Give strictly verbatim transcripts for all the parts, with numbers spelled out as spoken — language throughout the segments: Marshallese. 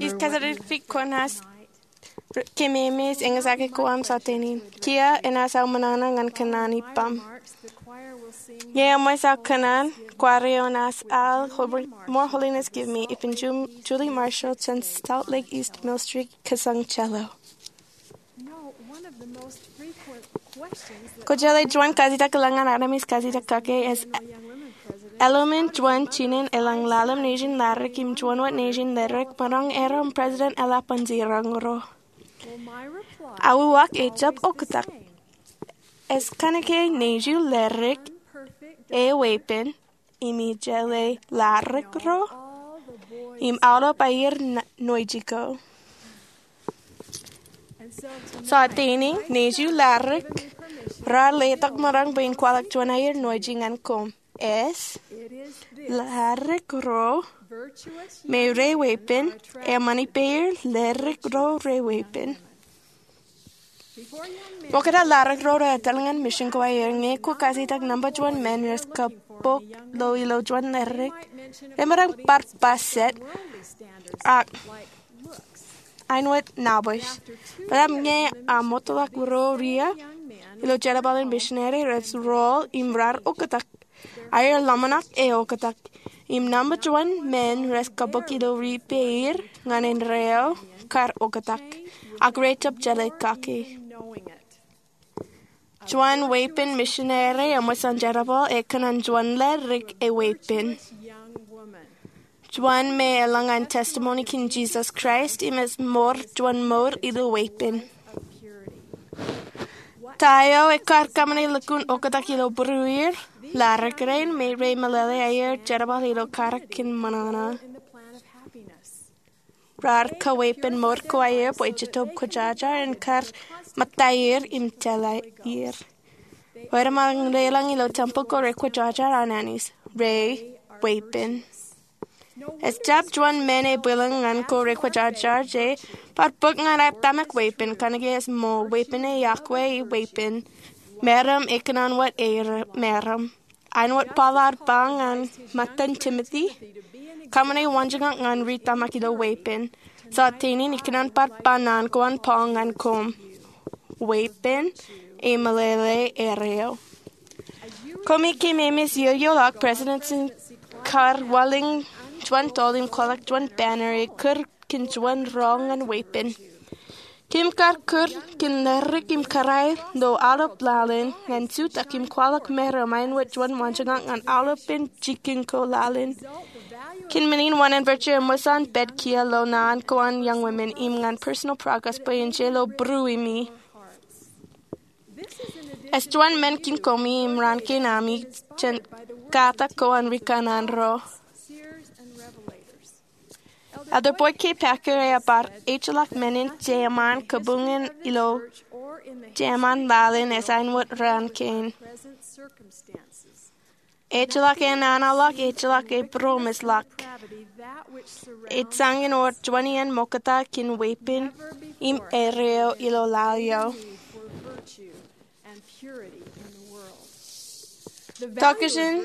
Ij kōjatdikdik kwōnaaj kememej eñjake ko aṃ jota in. Kiiō enaaj aō ṃōṇōṇō ñan kōṇaan ippaṃ. Ñe eṃōj aō kōṇaan, kwaar eo enaaj al More Holiness Give Me ippān Julie Marshall jān Salt Lake East Mill Street, Kōsōng Jelo. Kwōjeḷā juon kajjitōk eḷọñ ñan armej kajjitōk kake es, eḷoṃin juon jinen eḷọñ ḷalem nejin Larik im juon wōt nejin Larik maroñ erom President Ella Ponce Rongoro? Aō uwaak ejjab oktak. Es kōnke nejū Larik eweeppān, im ij jeḷā Larik ro, im aolep aier ṇa-, ṇoeji ko. Jota in, nejū Larik raar letok maroñ bwe in kwaḷọk juon aier ṇoeji ñan koṃ. Es, Larik ro, me reweeppān, eṃṃan ippāer Larik ro reweeppān. Ṃokta Larik ro reetal ñan mission ko aer, ñe kwō kajjitōk nōṃba juon men rej kab bōk lo ilo juon Larik, remaroñ bar ba jet, ak āinwōt ṇabōj. Bar ba ñe aṃ ṃōtḷọk ro ria ilo jerbal in missionary rej rool im raar oktak. Aer ḷōmṇak eoktak. Im nōṃba juon men rej kab bōk ilo ri ippāer ñan indeeo kar oktak. Ak rejjab jeḷā kake. Juon weeppān missionary eṃōj an jerbal ekōṇaan juon Larik eweeppān. Juon me eḷọñ an testimony kōn Jesus Christ im ej mour juon mour ilo weeppān. Ta eo ekar kōṃṃane lukkuun oktak ilo būrueir Larik rein me remeḷeḷe aier jerbal ilo karōk kōn ṃōṇōṇō? Raar kaweeppān mour ko aer bwe Jetōb Kwōjarjar en kar ṃōttaer im tōl aier. Rej ṃōk deḷọñ ilo tempeḷ ko rekwōjarjar an Anij. Reweeppān. Ejjab juon men ebwilōñ ñan ko rekwōjarjar je bar bōk ñan aer tōmak weeppān, kōnke ej ṃool. Weeppān ej iọkwe weeppān. Meram ekōṇaan wōt aer meram. Āinwōt Paul ear ba ñan ṃōttan Timothy, kōṃṃane waanjoñak ñan ri tōmak ilo weeppān. Jota in ikōṇaan bar ba naan ko an Paul ñan koṃ. Weeppān emeḷeḷe erreo. Koṃi kōmemeej iiō ḷọk president in kar walōñ juon tool im kwaḷọk juon banner ekūr kōn juon rọọl ñan weeppān. Kōm kar kūr kōn Larik im kōrā ilo aolep laḷ in ñan jutak im kwaḷọk meram āinwōt juon waanjoñak ñan aolepen jikin ko laḷ in. Kōn men in wōṇāān virtue eṃṃan pād kiiō ilo naan ko an Young Women im ñan Personal Progress bwe en je lo būruemi. Ej juon men kōn koṃi im raan kein ami jān katak ko an ri kanaan ro. Elder Boyd K. Packer ear bar ejjeḷọk men in jeṃaan kabuñ in ilo jeṃaan laḷ in ej āinwōt raan kein. Ejjeḷọk enaanaḷọk, ejjeḷọk ebūroṃōjḷọk. Ej jañin wōr juon iien ṃokta kōn weeppān im erreo ilo laḷ eo. Tokjān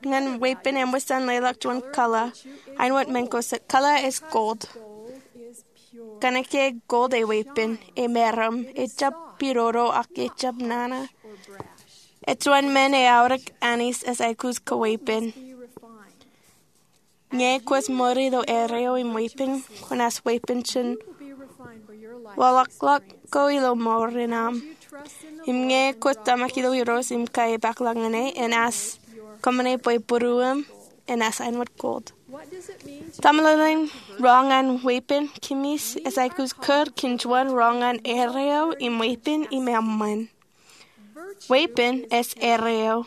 ñan weeppān eṃōj an leḷọk juon color. Āinwōt men ko jet, color ej gold. Kōnke gold eweeppān, emeram, ejjab pidodo ak ejjab nana. Ej juon men eaorōk Anij ej aikuj kaweeppān. Ñe kwōj ṃōri ilo erreo im weeppān, kwōnaaj weeppān jān waḷọkḷọk ko ilo mour in aṃ. Im ñe kwōj tōmak ilo Irooj im kaiiō ipakḷọk ñan e, enaaj kōṃṃane bwe būruōṃ enaaj āinwōt gold. Ta meḷeḷein rọọl ñan weeppān? Kōmij, ej aikuj kūr kōn juon rọọl ñan erreo im weeppān im eṃṃan. Weeppān ej erreo.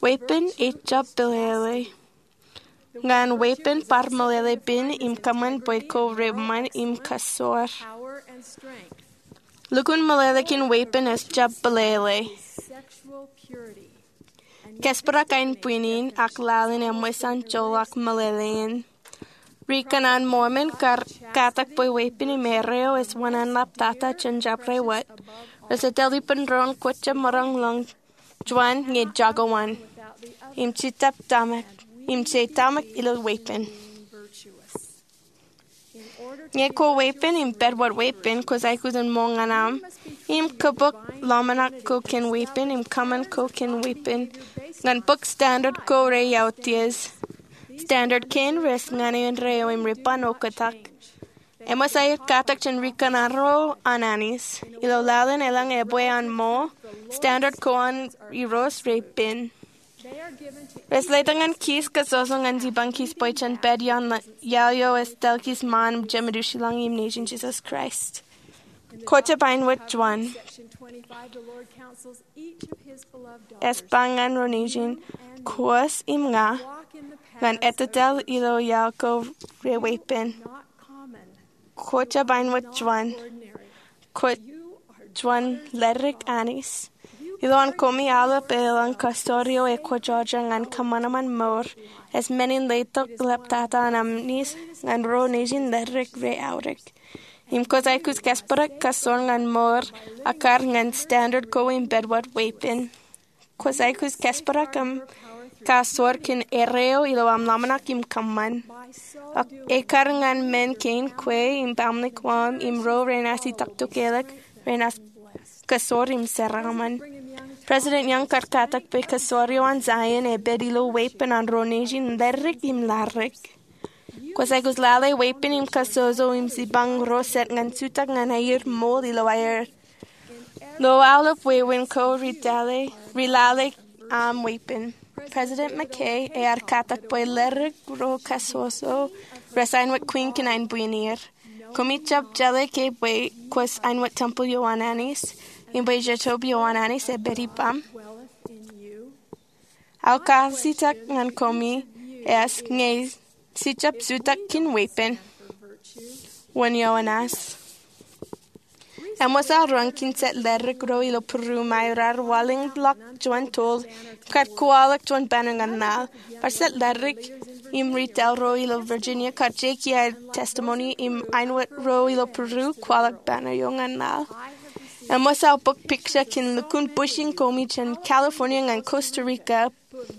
Weeppān ejjab pelele. Ñan weeppān bar meḷeḷe pen im kōṃṃan bwe ko reṃṃan im kasoor. Lukkuun meḷeḷe kōn weeppān ejjab pelele. Kōjparok ain bwinin ak laḷ in eṃōj an joḷọk meḷeḷein. Ri kanaan Mormon kar katak bwe weeppān im erreo ej wōṇāān ḷaptata jān jabdewōt. Rej etal ippān doon kwōjjab maroñ ḷọk juon ñe jako wōn im jitōb tōmak. im je tōmak ilo weeppān. Ñe kwe weeppān im pād wōt weeppān kwōj aikuj in ṃool ñan aṃ, im kōpok ḷōmṇak ko kōn weeppān im kōṃṃan ko kōn weeppān ñan bok standard ko reiautiej. Standard kein rej ñan indeeo im rej ban oktak. Eṃōj aer katak jān rikōṇaan ro an Anij. Ilo laḷ in elōñ ebwe an ṃool, standard ko an Irooj rej pen. Rej letok ñan kij kasoso ñan jipañ kij bwe jen pād iaan iaḷ eo ej tōl kij ṃaan Jemedūs ilañ im Nejin Jisōs Kraist. Kwō jab āinwōt juon. Ej ba ñan ro nejin, kōj im ña, ñan ettōtaḷ ilo iaḷ ko reweeppān. Kwō jab āinwōt juon. Kwōj juon leddik Anij. Ilowaan koṃi aolep elōñ kastōr eo ekwōjarjar ñan kōṃanṃan mour, ej men in letok ḷaptata an Anij ñan ro nejin leddik reaorōk. Im kwōj aikuj kōjparok kastōr ñan mour akkar ñan standard ko im pād wōt weeppān. Kwōj aikuj kōjparok aṃ kastōr kōn erreo ilo aṃ ḷōmṇak im kōṃṃan. Ak ekkar ñan men kein kwe im baaṃle ko aṃ im ro renaaj itok tokālik, renaaj kastōr im jeraaṃṃan. President Young kar katak bwe kastōr eo an Zion ej pād ilo weeppān an ro nejin leddik im laddik. Kwōj aikuj lale weeppān im kasoso im jipañ ro jet ñan jutak ñan aer ṃool ilo aer. Ilo aolep wāween ko ri lale, ri lale aṃ weeppān. President McKay ear katak bwe leddik ro kasoso rej āinwōt kwiin kōn ain bwin er. Koṃi jab jeḷā ke bwe kwōj āinwōt tempeḷ eo an Anij, im bwe jejjab eo an Anij ej pād ippām. Aō kajjitōk ñan koṃi ej ñe jej jab jutak kōn weeppān. Wōn eo enaaj? Eṃōj aō roñ kōn jet leddik ro ilo Peru ṃae raar waḷọkḷọk juon toḷ im kar kwaḷọk juon banner ñan laḷ. Bar jet leddik im ri lale ro ilo Virginia kar jeki aer testimony im āinwōt ro ilo Peru kwaḷọk banner eo ñan laḷ. Eṃōj aō bōk picture kōn lukkuun bush in koṃi jān California ñan Costa Rica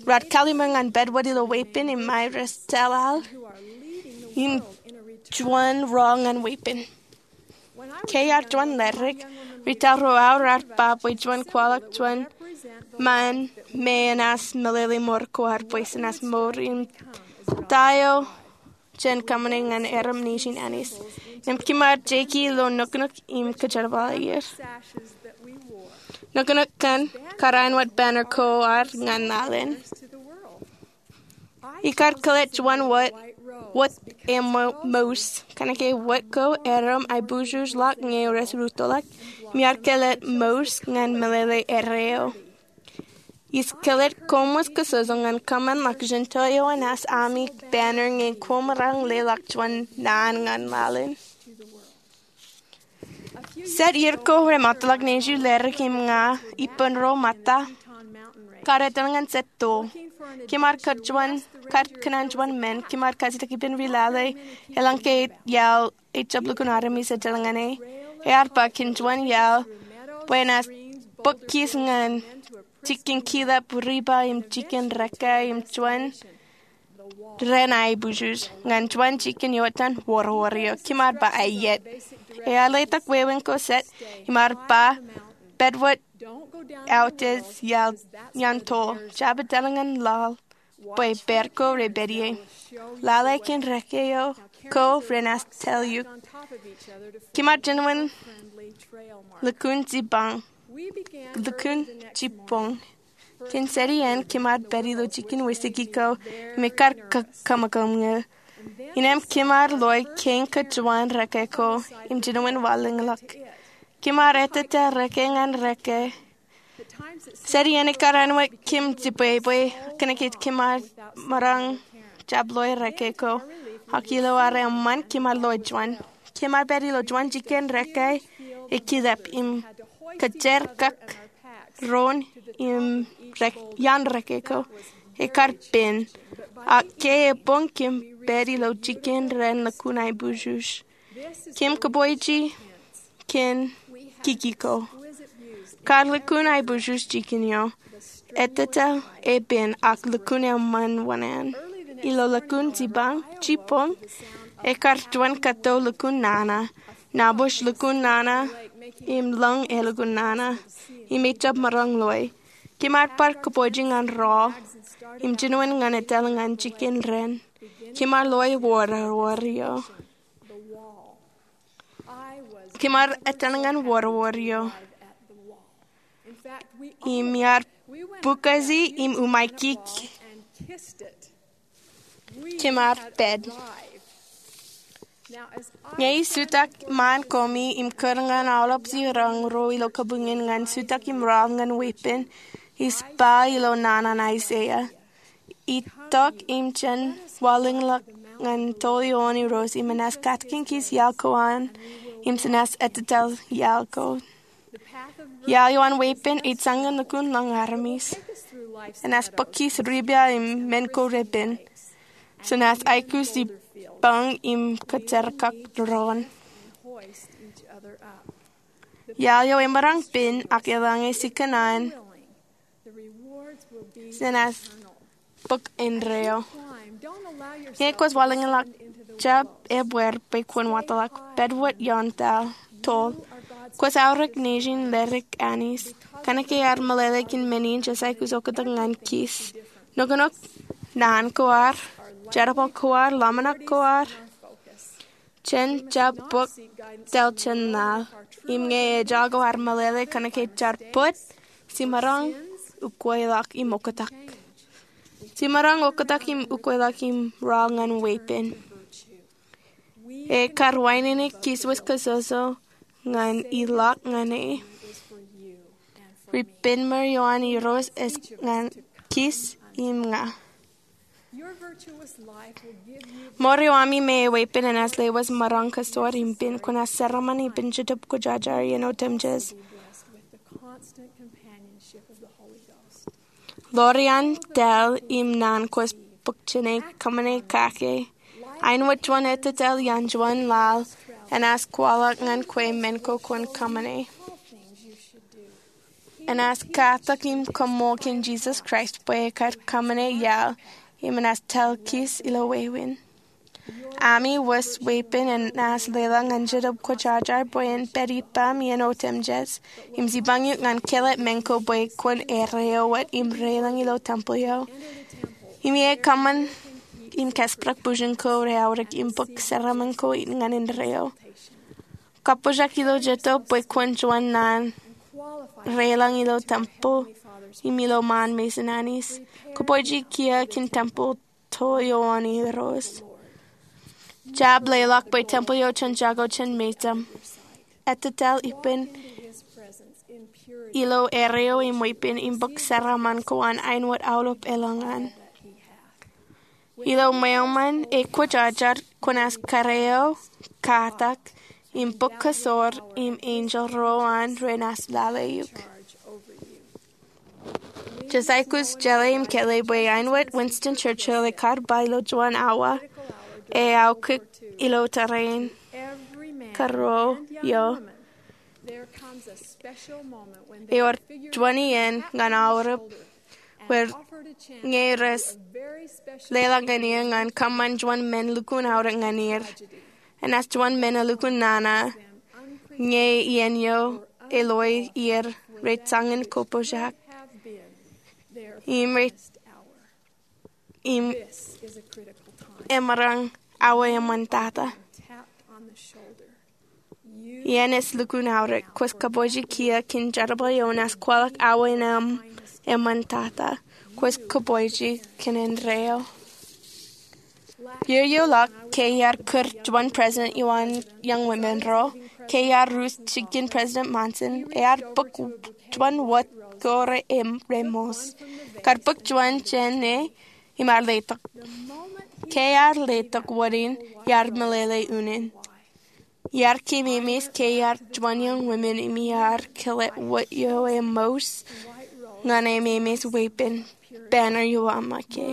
raar kallim̧ur ñan pād wōt ilo weeppān im ṃae rej tōl aḷ im juon rọọl ñan weeppān. Ke iar juon leddik, ri lale ro aō raar ba bwe juon kwaḷọk juon ṃaan me enaaj meḷeḷe mour ko ad bwe jenaaj mour im ta eo jen kōṃṃane ñan erom nejin Anij. Im kōm ar jeki ilo nuknuk im kōjerbal er. Nuknuk kaṇ kar āinwōt banner ko ad ñan laḷ in. Ikar kōḷḷā juon wōt, wōt eo mo-, mouse, kōnke wōt ko erom aiboojoj ḷọk ñe rej rūttoḷọk, im iar kōḷḷā mouse ñan meḷeḷe erreo. Ij kōḷḷā koṃ wōj kōsoso ñan kōṃṃan ḷọk jān to eo enaaj ami banner ñe koṃ raar leḷọk juon naan ñan laḷ in. Jet ier ko remootḷọk nejū, Larry im ña ippān ro ṃōtta kar etal ñan jet toḷ. Kōm ar kōt juon, kar kōṇaan juon men, kōm ar kajjitōk ippān ri lale, elōñ ke iaḷ ejjab lukkuun armej etal ñan e. Ear ba kōn juon iaḷ bwe enaaj bōk kij ñan jikin kilap, riba im jikin rekke im juon ren aiboojoj ñan juon jikin iotan wōrwōr eo. Kōm ar ba aiet. Ear letok wāween ko jet im ar ba, pād wōt autiej iaan toḷ. Jab etal ñan laḷ bwe pād ko repād ie. Lale kōn rekke eo ko renaaj tōl eok. Kōm ar jinoin lukkuun jipañ, lukkuun jipañ. Kōn jet iien kōm ar pād ilo jikin wesiki ko im ekar ka-, kōṃṃan ñe. Innām kōm ar loe kein kōjuon rekke ko im jinoin waḷọkḷọk. Kōm ar ettōtaḷ rekke ñan rekke. Jet iien ekar āinwōt kōm jibwebwe kōnke kōm ar maroñ jab loe rekke ko. Ak ilo ad eṃṃan kōm ar loe juon. Kōm ar pād ilo juon jikin rekke ekilep im kōjerakak doon im rek-, iaan rekke ko. Ekar pen. Ak ke eboñ kōm pād ilo jikin ren lukkuun aiboojoj. Kōm kōpooj kōn kiki ko. Kar lukkuun aiboojoj jikin eo. Ettōtaḷ epen ak lukkuun eṃṃan wōṇāān. ilo lukkuun jipañ, jipañ, ekar juon kato lukkuun nana, nabōj lukkuun nana, im lōñ e lukkuun nana, im ejjab maroñ loe. Kōm ar bar kōpooje ñan rọọl, im jinoin ñan etal ñan jikin ren. Kōm ar loe wōrwōr eo. Kōm ar etal ñan wōrwōr eo. Im iar bukaji im umaiki kōm ar pād. Ñe ij jutak ṃaan koṃi im kūr ñan aolep jiroñ ro ilo kabuñ in ñan jutak im rọọl ñan weeppān, ij ba ilo naan an Aiseia, itok im jen walōñḷọk ñan tōl ioon Irooj im enaaj katakin kij iaḷ ko an, im jenaaj ettōtaḷ iaḷ ko. Iaḷ eo an weeppān ej jañin lukkuun lōñ armej. Enaaj bōk kij ripia im men ko repen. Jenaaj aikuj jipañ im kōjjekrak doon. Iaḷ eo emaroñ pen ak eḷaññe jikōṇaan, jenaaj bōk indeeo. Ñe kwōj walōñḷọk, jab ebbeer bwe kwōn watōḷọk. Pād wōt ioon toḷ. Kwōj aorōk nejin ledik Anij. Kōnke ear meḷeḷe kōn men in jej aikuj oktak ñan kij. Noknok naan ko ad, jerbal ko ad, ḷōmṇak ko ad, jen jab bōk taḷ jān laḷ. Im ñe ejako ad meḷeḷe kōnke jaar bōd, jiṃaroñ ukweḷọk im oktak. Jiṃaroñ oktak im ukweḷọk im rọọl ñan weeppān. Ekar wānōk kij wōj kōjojo ñan ilọk ñan e. Ripenṃōr eo an Irooj ej ñan kij im ña. Mour eo ami me eweeppān enaaj lewōj maroñ kōsor im pen kwōnaaj jeraaṃṃan ippān Jetōb Kwōjarjar iien otemjej. Ḷoor iaan taḷ im naan kwōj bōk jāne kōṃṃane kake. Āinwōt juon ettōtaḷ iaan juon laḷ enaaj kwaḷọk ñan kwe men ko kwōn kōṃṃane. Enaaj katak im kaṃṃool kōn Jisōs Kraist bwe ekar kōṃṃane iaḷ im enaaj taḷ kij ilo wāween. Ami wōj weeppān enaaj leḷọk ñan Jetōb Kwōjarjar bwe en pād ippaṃ iien otemjej im jipañ eok ñan kāālōt men ko bwe kwōn erreo wōt im deḷọñ ilo tempel eo. Im ie kōṃṃan im kōjparok bwijin ko reaorōk im bōk jeraaṃṃan ko ñan indeeo. Kappojak ilo Jetōb bwe kwōn juon naan deḷọñ ilo tempel im ilo ṃaan mejān Anij. Kōpooje kiiō kōn tempel toḷ eo an Irooj. Jab leḷọk bwe tempel eo jen jako jān mejaṃ. Ettōtaḷ ippān ilo erreo im weeppān im bōk jeraaṃṃan ko an āinwōt aolep eḷaññe an. Ilo ṃweo ṃōn e kwōjarjar kwōnaaj karreo, katak, im bōk kōsor im enjeḷ ro an renaaj lale eok. Jej aikuj jeḷā im kāālōt bwe āinwōt Winston Churchill ekar ba ilo juon awa, e aokwe ilo tōre in, kōrro eo, ewōr juon iien ñan aorōk wōt ñe rej leḷọk ñan er ñan kōṃṃan juon men lukkuun aorōk ñan er. Enaaj juon men elukkuun nana ñe iien eo eḷoe er rej jañin kappojak im rej im emaroñ awa eṃṃantata. Iien ej lukkuun aorōk. Kwōj kōpooje kiiō kōn jerbal eo enaaj kwaḷọk awa in eṃṃantata. Kwōj kōpooje kōn indeeo. Iiō eo ḷọk ke iar kūr juon president eo an Young Women ro, ke iar rūs jikin President Monson, ear bōk juon wōt ko re im remoos. Kar bōk juon jāne im ar letok. Ke ear letok wōt in, iar meḷeḷe unin. Iar kememeej ke iar juon Young Women im iar kile wōt eo emoos ñan e memeej weeppān, banner eo aṃ make.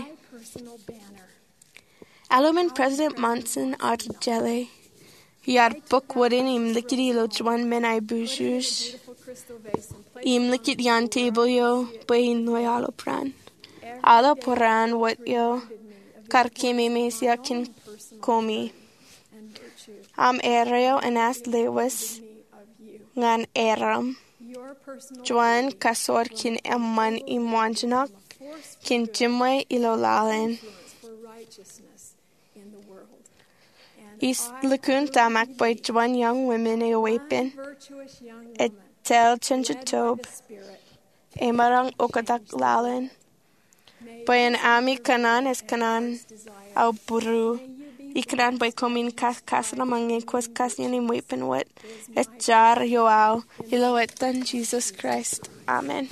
Aolep men President Monson ear jeḷā, iar bōk wōt in im likūt ilo juon men aiboojoj im likūt iaan tebōḷ eo bwe in loe aolep raan. Aolep raan wōt eo kar keememej ioon koṃ. Aṃ erreo enaaj lewōj ñan erom. Juon kasoor kōn eṃṃan im waanjoñak kōn jiṃwe ilo laḷ in. Ij lukkuun tōmak bwe juon young women eo weeppān, ej tōl jān jitōb, emaroñ oktak laḷ in. Bwe en ami kōṇaan ej kōṇaan aō būruō. Ikōṇaan bwe koṃwin kakaseṇaṃ ñe kwōj kajjien im weeppān wōt. Ej jar ioō aō, ilo etan Jisōs Kraist, amen.